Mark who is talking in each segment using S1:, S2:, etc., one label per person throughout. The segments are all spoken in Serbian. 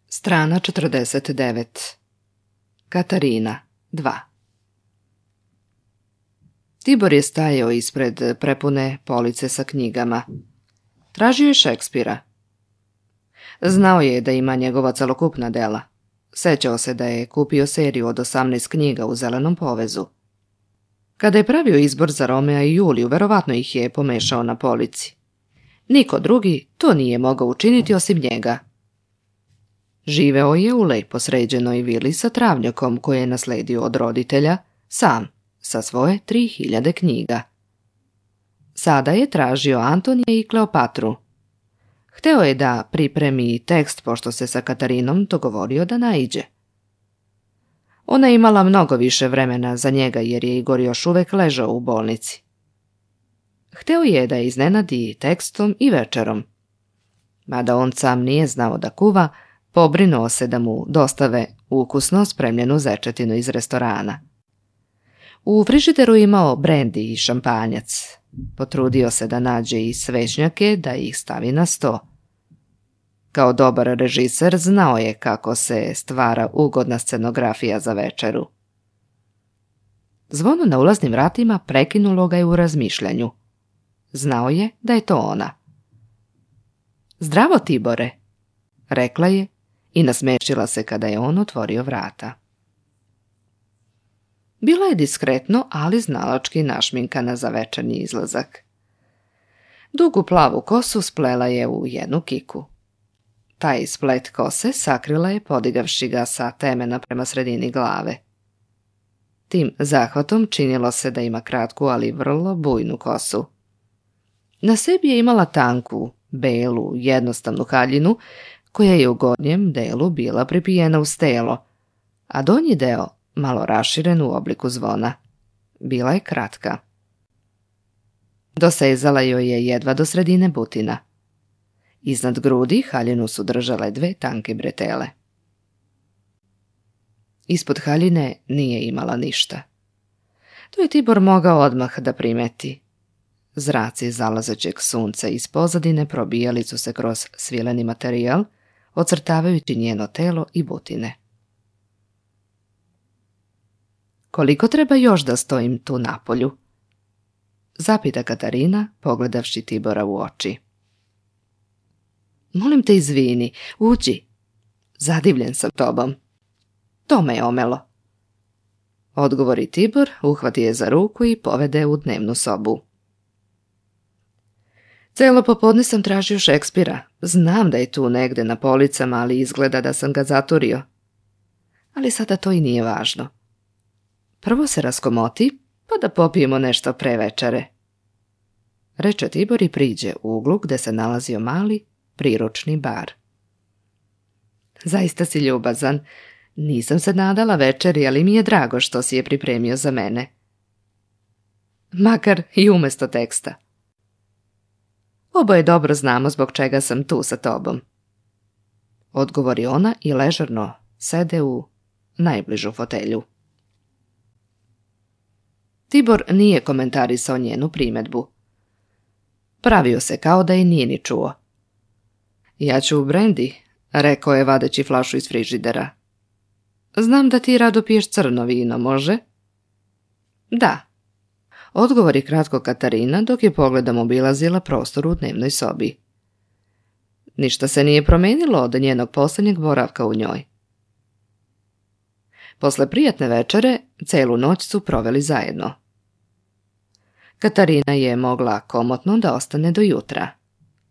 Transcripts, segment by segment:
S1: Strana 49. Katarina 2. Tibor je stajao ispred prepune police sa knjigama. Tražio je Šekspira. Znao je da ima njegova celokupna dela. Sećao se da je kupio seriju od 18 knjiga u zelenom povezu. Kada je pravio izbor za Romea i Juliju, verovatno ih je pomešao na polici. Niko drugi to nije mogao učiniti osim njega. Živeo je u lepo sređenoj vili sa travnjakom koje je nasledio od roditelja, sam, sa svoje 3000 knjiga. Sada je tražio Antonija i Kleopatru. Hteo je da pripremi tekst pošto se sa Katarinom dogovorio da naiđe. Ona je imala mnogo više vremena za njega jer je Igor još uvek ležao u bolnici. Hteo je da je iznenadi tekstom i večerom. Mada on sam nije znao da kuva, pobrinuo se da mu dostave ukusno spremljenu zečetinu iz restorana. U frižideru imao brendi i šampanjac. Potrudio se da nađe i svećnjake da ih stavi na sto. Kao dobar režiser znao je kako se stvara ugodna scenografija za večeru. Zvono na ulaznim vratima prekinulo ga je u razmišljanju. Znao je da je to ona. "Zdravo, Tibore," rekla je i nasmešila se kada je on otvorio vrata. Bila je diskretno, ali znalački našminkana za večernji izlazak. Dugu plavu kosu splela je u jednu kiku. Taj splet kose sakrila je podigavši ga sa temena prema sredini glave. Tim zahvatom činilo se da ima kratku, ali vrlo bujnu kosu. Na sebi je imala tanku, belu, jednostavnu haljinu, koja je u gornjem delu bila pripijena uz telo, a donji deo malo raširen u obliku zvona. Bila je kratka. Dosezala joj je jedva do sredine butina. Iznad grudi haljinu su držale 2 tanke bretele. Ispod haljine nije imala ništa. To je Tibor mogao odmah da primeti. Zraci zalazećeg sunca iz pozadine probijali su se kroz svileni materijal, ocrtavajući njeno telo i butine. "Koliko treba još da stojim tu napolju?" zapita Katarina, pogledavši Tibora u oči. "Molim te, izvini, uđi. Zadivljen sam tobom. To me je omelo." Odgovori Tibor, uhvati je za ruku i povede u dnevnu sobu. "Celo popodne sam tražio Šekspira. Znam da je tu negde na policama, ali izgleda da sam ga zaturio. Ali sada to i nije važno. Prvo se raskomoti, pa da popijemo nešto pre večere," reče Tibor i priđe u uglu gde se nalazio mali, priručni bar. "Zaista si ljubazan. Nisam se nadala večeri, ali mi je drago što si je pripremio za mene. Makar i umesto teksta. Oboje dobro znamo zbog čega sam tu sa tobom," odgovori ona i ležerno sede u najbližu fotelju. Tibor nije komentarisao njenu primedbu. Pravio se kao da je nije ni čuo. "Ja ću u brendi," rekao je vadeći flašu iz frižidera. "Znam da ti rado piješ crno vino, može?" "Da," odgovori kratko Katarina dok je pogledom obilazila prostor u dnevnoj sobi. Ništa se nije promenilo od njenog posljednjeg boravka u njoj. Posle prijatne večere, celu noć su proveli zajedno. Katarina je mogla komotno da ostane do jutra.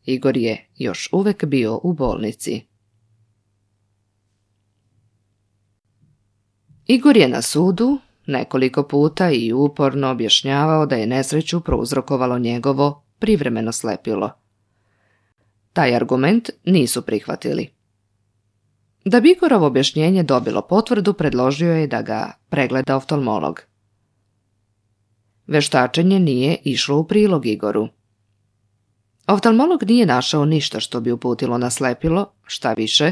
S1: Igor je još uvek bio u bolnici. Igor je na sudu nekoliko puta i uporno objašnjavao da je nesreću prouzrokovalo njegovo privremeno slepilo. Taj argument nisu prihvatili. Da bi Igorovo objašnjenje dobilo potvrdu, predložio je da ga pregleda oftalmolog. Veštačenje nije išlo u prilog Igoru. Oftalmolog nije našao ništa što bi uputilo na slepilo, šta više,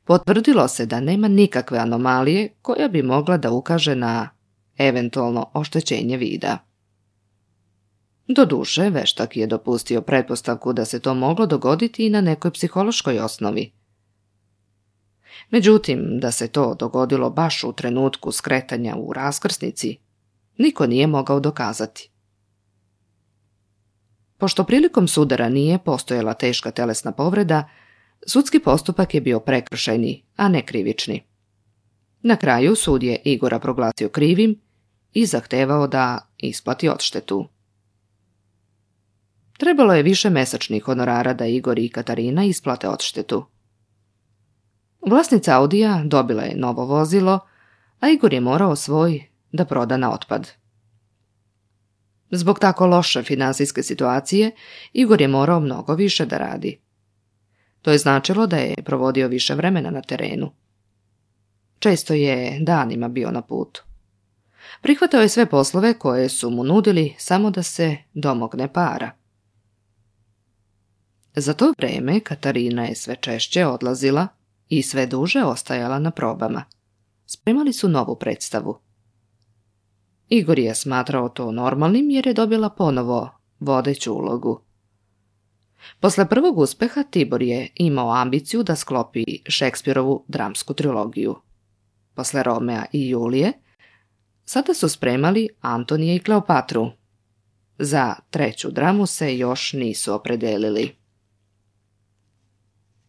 S1: potvrdilo se da nema nikakve anomalije koja bi mogla da ukaže na eventualno oštećenje vida. Doduše, veštak je dopustio pretpostavku da se to moglo dogoditi i na nekoj psihološkoj osnovi. Međutim, da se to dogodilo baš u trenutku skretanja u raskrsnici, niko nije mogao dokazati. Pošto prilikom sudara nije postojala teška telesna povreda, sudski postupak je bio prekršajni, a ne krivični. Na kraju sud je Igora proglasio krivim i zahtevao da isplati odštetu. Trebalo je više mesečnih honorara da Igor i Katarina isplate odštetu. Vlasnica Audija dobila je novo vozilo, a Igor je morao svoj da proda na otpad. Zbog tako loše finansijske situacije, Igor je morao mnogo više da radi. To je značilo da je provodio više vremena na terenu. Često je danima bio na putu. Prihvatao je sve poslove koje su mu nudili samo da se domogne para. Za to vreme Katarina je sve češće odlazila i sve duže ostajala na probama. Spremali su novu predstavu. Igor je smatrao to normalnim jer je dobila ponovo vodeću ulogu. Posle prvog uspeha Tibor je imao ambiciju da sklopi Šekspirovu dramsku trilogiju. Posle Romea i Julije, sada su spremali Antonija i Kleopatru. Za treću dramu se još nisu opredelili.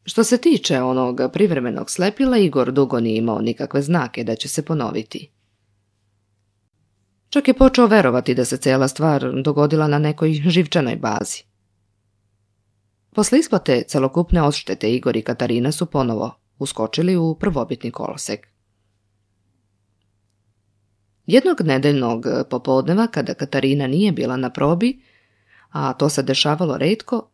S1: Što se tiče onog privremenog slepila, Igor dugo nije imao nikakve znake da će se ponoviti. Čak je počeo verovati da se cela stvar dogodila na nekoj živčanoj bazi. Posle isplate celokupne odštete Igor i Katarina su ponovo uskočili u prvobitni kolosek. Jednog nedeljnog popodneva, kada Katarina nije bila na probi, a to se dešavalo retko,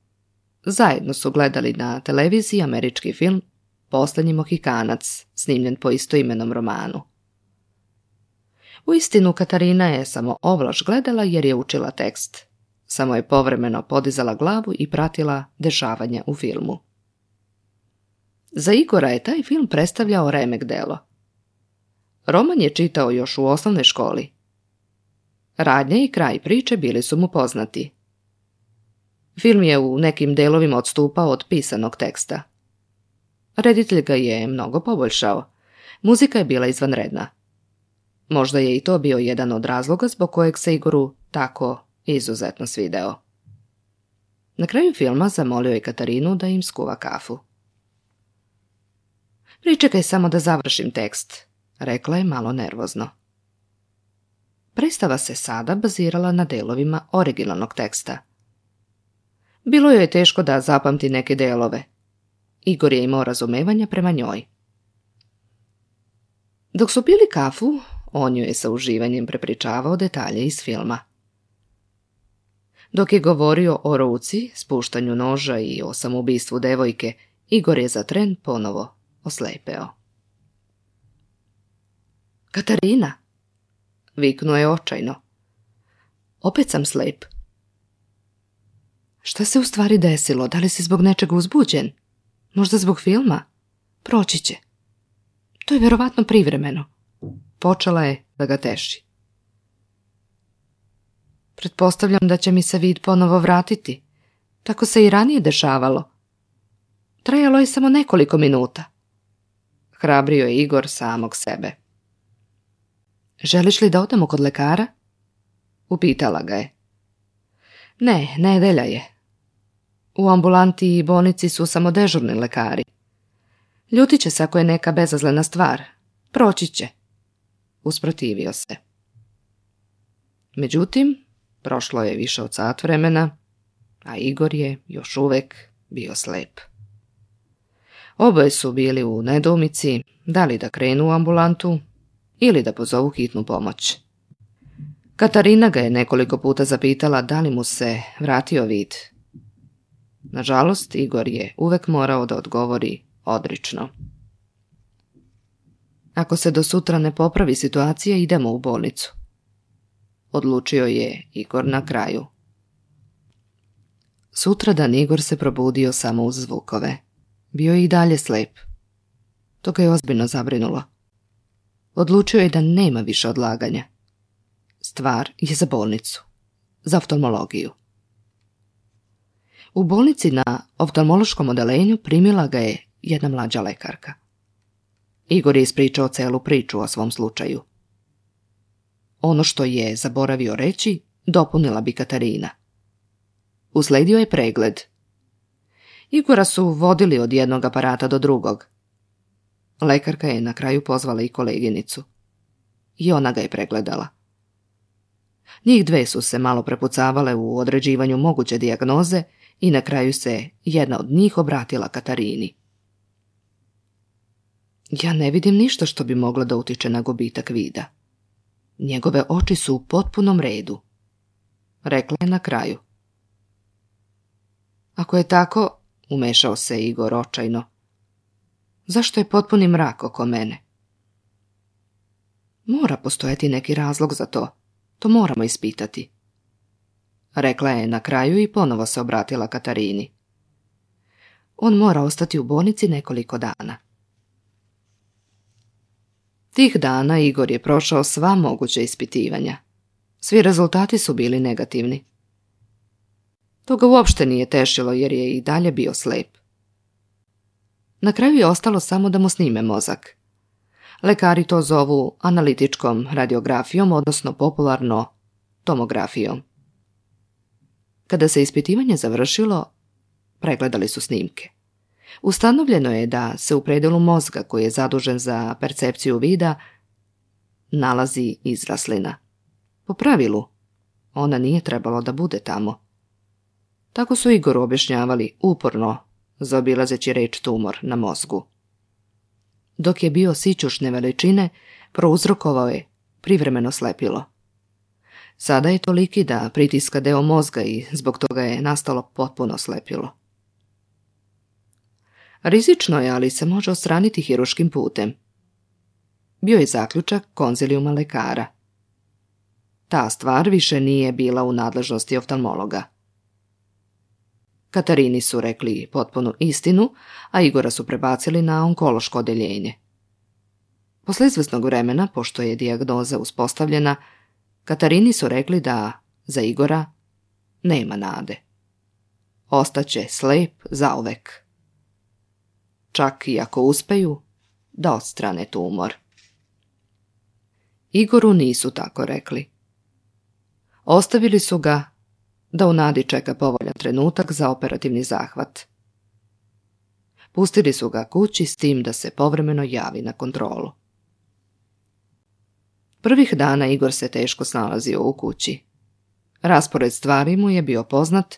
S1: zajedno su gledali na televiziji američki film Poslednji Mohikanac, snimljen po istoimenom romanu. Uistinu, Katarina je samo ovlaš gledala jer je učila tekst. Samo je povremeno podizala glavu i pratila dešavanja u filmu. Za Igora je taj film predstavljao remek delo. Roman je čitao još u osnovnoj školi. Radnja i kraj priče bili su mu poznati. Film je u nekim delovima odstupao od pisanog teksta. Reditelj ga je mnogo poboljšao. Muzika je bila izvanredna. Možda je i to bio jedan od razloga zbog kojeg se Igoru tako izuzetno svideo. Na kraju filma zamolio je Katarinu da im skuva kafu. Pričekaj samo da završim tekst, rekla je malo nervozno. Predstava se sada bazirala na delovima originalnog teksta. Bilo joj je teško da zapamti neke delove. Igor je imao razumevanja prema njoj. Dok su pili kafu, on joj je sa uživanjem prepričavao detalje iz filma. Dok je govorio o ruci, spuštanju noža i o samoubistvu devojke, Igor je za tren ponovo oslepeo. Katarina, viknuo je očajno. Opet sam slep. Šta se u stvari desilo? Da li si zbog nečega uzbuđen? Možda zbog filma? Proći će. To je verovatno privremeno. Počela je da ga teši. Pretpostavljam da će mi se vid ponovo vratiti. Tako se i ranije dešavalo. Trajalo je samo nekoliko minuta. Hrabrio je Igor samog sebe. Želiš li da odemo kod lekara? Upitala ga je. Ne, nedelja je. U ambulanti i bolnici su samo dežurni lekari. Ljutit će se ako je neka bezazlena stvar. Proći će. Usprotivio se. Međutim, prošlo je više od sat vremena, a Igor je još uvek bio slep. Oboje su bili u nedoumici da li da krenu u ambulantu ili da pozovu hitnu pomoć. Katarina ga je nekoliko puta zapitala da li mu se vratio vid. Nažalost, Igor je uvek morao da odgovori odrično. Ako se do sutra ne popravi situacija, idemo u bolnicu. Odlučio je Igor na kraju. Sutradan Igor se probudio samo uz zvukove. Bio je i dalje slep. To ga je ozbiljno zabrinulo. Odlučio je da nema više odlaganja. Stvar je za bolnicu. Za oftalmologiju. U bolnici na oftalmološkom odelenju primila ga je jedna mlađa lekarka. Igor je ispričao celu priču o svom slučaju. Ono što je zaboravio reći, dopunila bi Katarina. Usledio je pregled. Igora su vodili od jednog aparata do drugog. Lekarka je na kraju pozvala i koleginicu. I ona ga je pregledala. Njih dve su se malo prepucavale u određivanju moguće dijagnoze i na kraju se jedna od njih obratila Katarini. Ja ne vidim ništa što bi moglo da utiče na gubitak vida. Njegove oči su u potpunom redu, rekla je na kraju. Ako je tako, umešao se Igor očajno, zašto je potpuni mrak oko mene? Mora postojati neki razlog za to. To moramo ispitati. Rekla je na kraju i ponovo se obratila Katarini. On mora ostati u bolnici nekoliko dana. Tih dana Igor je prošao sva moguća ispitivanja. Svi rezultati su bili negativni. To ga uopšte nije tešilo jer je i dalje bio slep. Na kraju je ostalo samo da mu snime mozak. Lekari to zovu analitičkom radiografijom, odnosno popularno tomografijom. Kada se ispitivanje završilo, pregledali su snimke. Ustanovljeno je da se u predelu mozga koji je zadužen za percepciju vida nalazi izraslina. Po pravilu, ona nije trebalo da bude tamo. Tako su Igoru objašnjavali uporno, zaobilazeći reč tumor na mozgu. Dok je bio sićušne veličine, prouzrokovao je privremeno slepilo. Sada je toliki da pritiska deo mozga i zbog toga je nastalo potpuno slepilo. Rizično je, ali se može odstraniti hiruškim putem. Bio je zaključak konzilijuma lekara. Ta stvar više nije bila u nadležnosti oftalmologa. Katarini su rekli potpunu istinu, a Igora su prebacili na onkološko odeljenje. Posle izvesnog vremena, pošto je dijagnoza uspostavljena, Katarini su rekli da za Igora nema nade. Ostaće slep zauvek. Čak i ako uspeju da odstrane tumor. Igoru nisu tako rekli. Ostavili su ga da u nadi čeka povoljan trenutak za operativni zahvat. Pustili su ga kući s tim da se povremeno javi na kontrolu. Prvih dana Igor se teško snalazio u kući. Raspored stvari mu je bio poznat,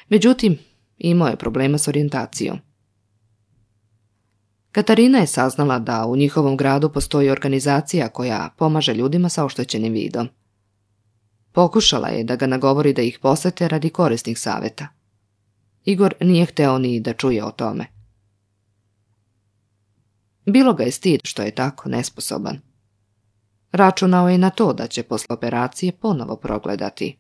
S1: međutim imao je problema s orijentacijom. Katarina je saznala da u njihovom gradu postoji organizacija koja pomaže ljudima sa oštećenim vidom. Pokušala je da ga nagovori da ih posete radi korisnih savjeta. Igor nije hteo ni da čuje o tome. Bilo ga je stid što je tako nesposoban. Računao je na to da će posle operacije ponovo progledati.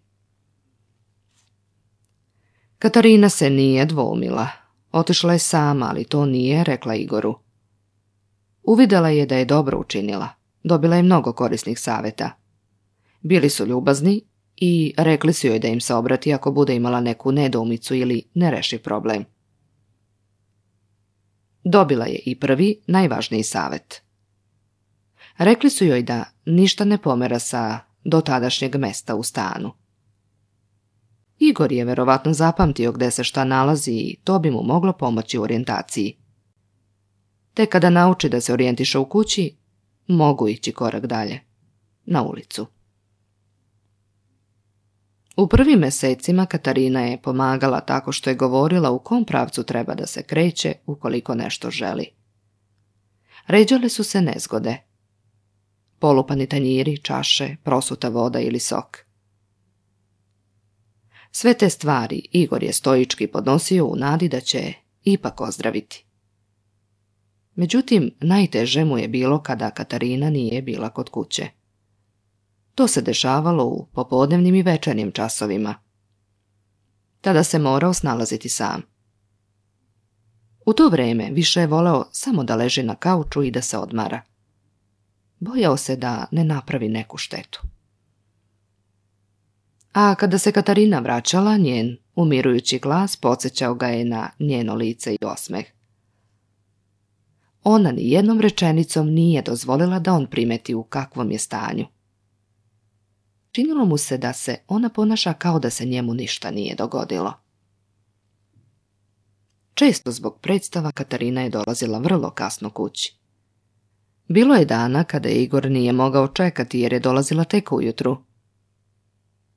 S1: Katarina se nije dvoumila. Otišla je sama, ali to nije rekla Igoru. Uvidela je da je dobro učinila. Dobila je mnogo korisnih savjeta. Bili su ljubazni i rekli su joj da im se obrati ako bude imala neku nedoumicu ili nerešiv problem. Dobila je i prvi, najvažniji savjet. Rekli su joj da ništa ne pomera sa dotadašnjeg mesta u stanu. Igor je verovatno zapamtio gde se šta nalazi i to bi mu moglo pomoći u orijentaciji. Te kada nauči da se orijentiše u kući, mogu ići korak dalje, na ulicu. U prvim mesecima Katarina je pomagala tako što je govorila u kom pravcu treba da se kreće ukoliko nešto želi. Ređale su se nezgode. Polupani tanjiri, čaše, prosuta voda ili sok. Sve te stvari Igor je stoički podnosio u nadi da će ipak ozdraviti. Međutim, najteže mu je bilo kada Katarina nije bila kod kuće. To se dešavalo u popodnevnim i večernjim časovima. Tada se morao snalaziti sam. U to vreme više je voleo samo da leži na kauču i da se odmara. Bojao se da ne napravi neku štetu. A kada se Katarina vraćala, njen umirujući glas podsjećao ga je na njeno lice i osmeh. ona ni jednom rečenicom nije dozvolila da on primeti u kakvom je stanju. Činilo mu se da se ona ponaša kao da se njemu ništa nije dogodilo. Često zbog predstava Katarina je dolazila vrlo kasno kući. Bilo je dana kada Igor nije mogao čekati jer je dolazila tek ujutru.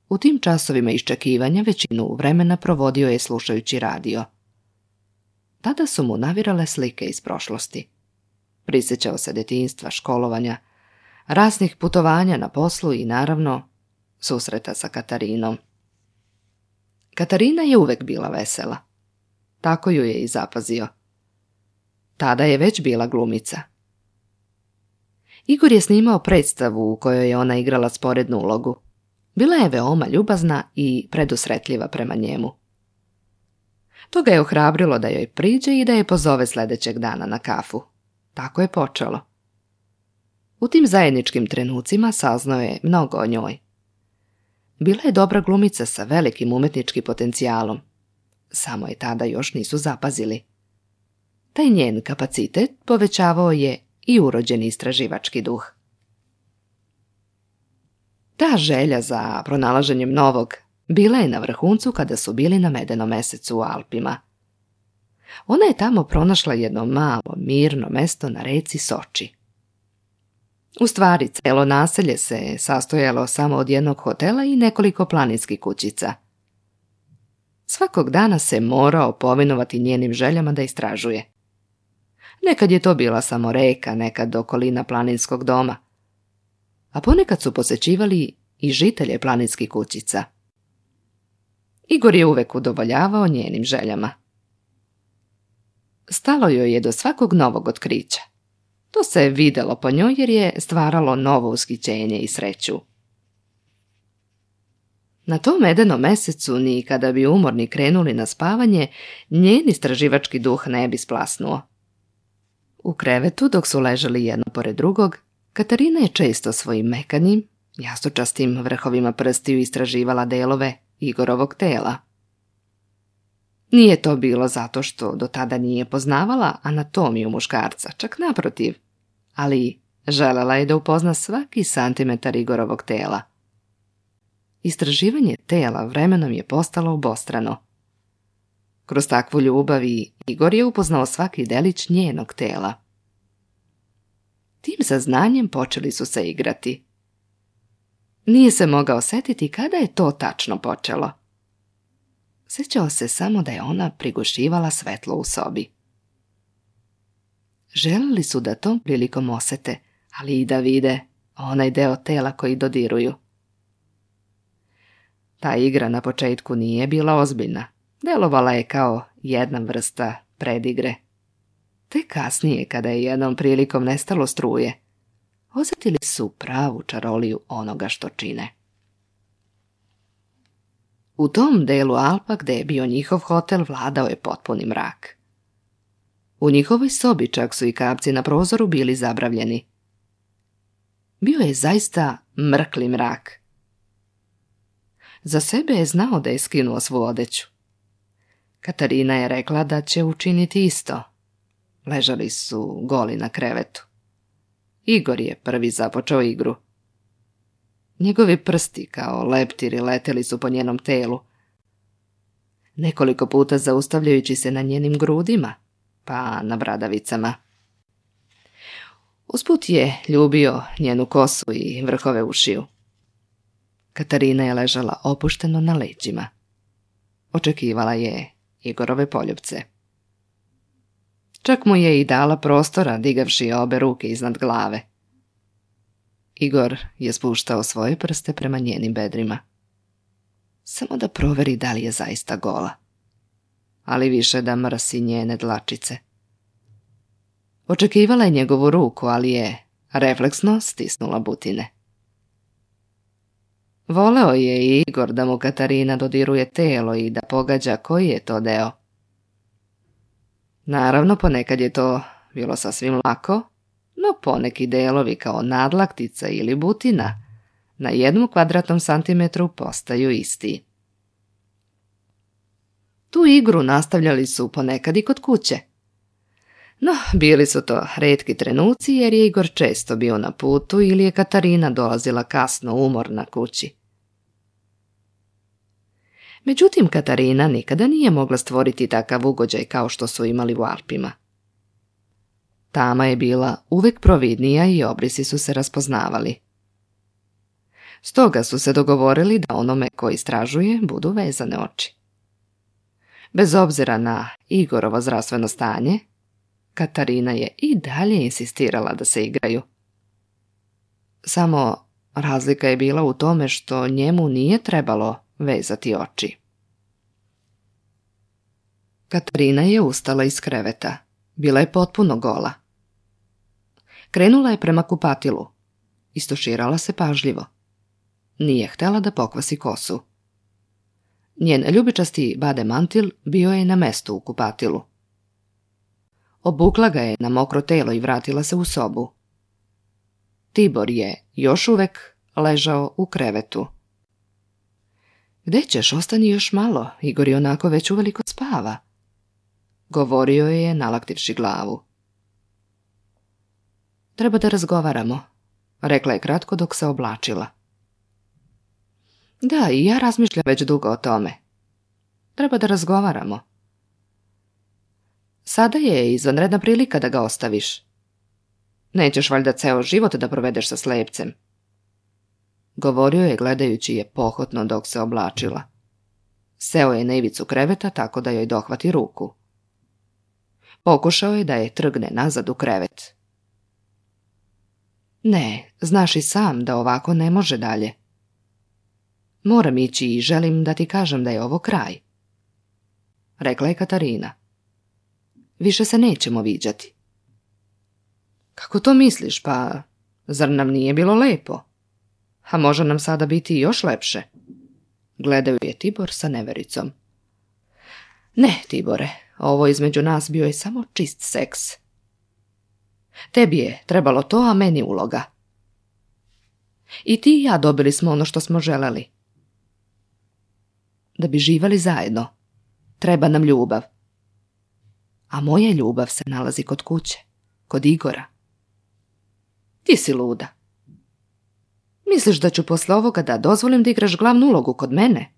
S1: U tim časovima iščekivanja većinu vremena provodio je slušajući radio. Tada su mu navirale slike iz prošlosti. Prisjećao se detinjstva, školovanja, raznih putovanja na poslu i naravno susreta sa Katarinom. Katarina je uvek bila vesela. Tako ju je i zapazio. Tada je već bila glumica. Igor je snimao predstavu u kojoj je ona igrala sporednu ulogu. Bila je veoma ljubazna i predusretljiva prema njemu. To ga je ohrabrilo da joj priđe i da je pozove sljedećeg dana na kafu. Tako je počelo. U tim zajedničkim trenucima saznao je mnogo o njoj. Bila je dobra glumica sa velikim umetničkim potencijalom. Samo je tada još nisu zapazili. Taj njen kapacitet povećavao je i urođeni istraživački duh. Ta želja za pronalaženjem novog bila je na vrhuncu kada su bili na Medenom mesecu u Alpima. Ona je tamo pronašla jedno malo, mirno mesto na reci Soči. U stvari, celo naselje se sastojalo samo od jednog hotela i nekoliko planinskih kućica. Svakog dana se morao povinovati njenim željama da istražuje. Nekad je to bila samo reka, nekad okolina planinskog doma, a ponekad su posećivali i žitelje planinskih kućica. Igor je uvek udovoljavao njenim željama. Stalo joj je do svakog novog otkrića. To se videlo po njoj jer je stvaralo novo ushićenje i sreću. Na tom Medenom mesecu, ni kada bi umorni krenuli na spavanje, njen istraživački duh ne bi splasnuo. U krevetu, dok su ležali jedno pored drugog, Katarina je često svojim mekanim, jastučastim vrhovima prstiju istraživala delove Igorovog tela. Nije to bilo zato što do tada nije poznavala anatomiju muškarca, čak naprotiv, ali želela je da upozna svaki santimetar Igorovog tela. Istraživanje tela vremenom je postalo obostrano. Kroz takvu ljubav Igor je upoznao svaki delić njenog tela. Tim saznanjem počeli su se igrati. Nije se mogao setiti kada je to tačno počelo. Sjećao se samo da je ona prigušivala svetlo u sobi. Želeli su da tom prilikom osete, ali i da vide onaj deo tela koji dodiruju. Ta igra na početku nije bila ozbiljna. Delovala je kao jedna vrsta predigre. Te kasnije, kada je jednom prilikom nestalo struje, osjetili su pravu čaroliju onoga što čine. U tom delu Alpa gde je bio njihov hotel vladao je potpuni mrak. U njihovoj sobi čak su i kapci na prozoru bili zabravljeni. Bio je zaista mrkli mrak. Za sebe je znao da je skinuo svu odeću. Katarina je rekla da će učiniti isto. Ležali su goli na krevetu. Igor je prvi započeo igru. Njegovi prsti kao leptiri leteli su po njenom telu. Nekoliko puta zaustavljajući se na njenim grudima, pa na bradavicama. Usput je ljubio njenu kosu i vrhove ušiju. Katarina je ležala opušteno na leđima. Očekivala je Igorove poljupce. Čak mu je i dala prostora, digavši obe ruke iznad glave. Igor je spuštao svoje prste prema njenim bedrima. Samo da proveri da li je zaista gola. Ali više da mrsi njene dlačice. Očekivala je njegovu ruku, ali je refleksno stisnula butine. Voleo je i Igor da mu Katarina dodiruje telo i da pogađa koji je to deo. Naravno, ponekad je to bilo sasvim lako, no poneki delovi kao nadlaktica ili butina na 1 kvadratnom santimetru postaju isti. Tu igru nastavljali su ponekad i kod kuće. No, bili su to retki trenuci jer je Igor često bio na putu ili je Katarina dolazila kasno umorna kući. Međutim, Katarina nikada nije mogla stvoriti takav ugođaj kao što su imali u Alpima. Tama je bila uvek providnija i obrisi su se raspoznavali. Stoga su se dogovorili da onome ko istražuje budu vezane oči. Bez obzira na Igorovo zdravstveno stanje, Katarina je i dalje insistirala da se igraju. Samo razlika je bila u tome što njemu nije trebalo vezati oči. Katarina je ustala iz kreveta. Bila je potpuno gola. Krenula je prema kupatilu. Istuširala se pažljivo. Nije htjela da pokvasi kosu. Njen ljubičasti bade mantil bio je na mestu u kupatilu. Obukla ga je na mokro telo i vratila se u sobu. Tibor je još uvek ležao u krevetu. Gde ćeš, ostani još malo, Igor je onako već uveliko spava, govorio je nalaktivši glavu. Treba da razgovaramo, rekla je kratko dok se oblačila. Da, i ja razmišljam već dugo o tome. Treba da razgovaramo. Sada je izvanredna prilika da ga ostaviš. Nećeš valjda ceo život da provedeš sa slepcem, govorio je gledajući je pohotno dok se oblačila. Seo je na ivicu kreveta tako da joj dohvati ruku. Pokušao je da je trgne nazad u krevet. Ne, znaš i sam da ovako ne može dalje. Moram ići i želim da ti kažem da je ovo kraj, rekla je Katarina. Više se nećemo viđati. Kako to misliš, pa zar nam nije bilo lepo? A može nam sada biti još lepše? Gledao je Tibor sa nevericom. Ne, Tibore, ovo između nas bio je samo čist seks. Tebi je trebalo to, a meni uloga. I ti i ja dobili smo ono što smo želeli. Da bi živali zajedno, treba nam ljubav. A moja ljubav se nalazi kod kuće, kod Igora. Ti si luda. Misliš da ću posle ovoga da dozvolim da igraš glavnu ulogu kod mene?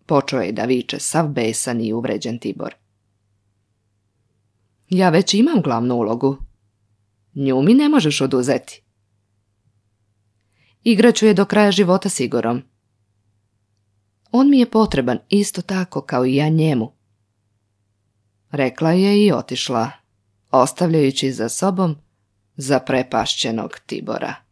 S1: Počeo je da viče sav besan i uvređen Tibor. Ja već imam glavnu ulogu. Nju mi ne možeš oduzeti. Igraću je do kraja života s Igorom. On mi je potreban isto tako kao i ja njemu, rekla je i otišla, ostavljajući za sobom zaprepašćenog Tibora.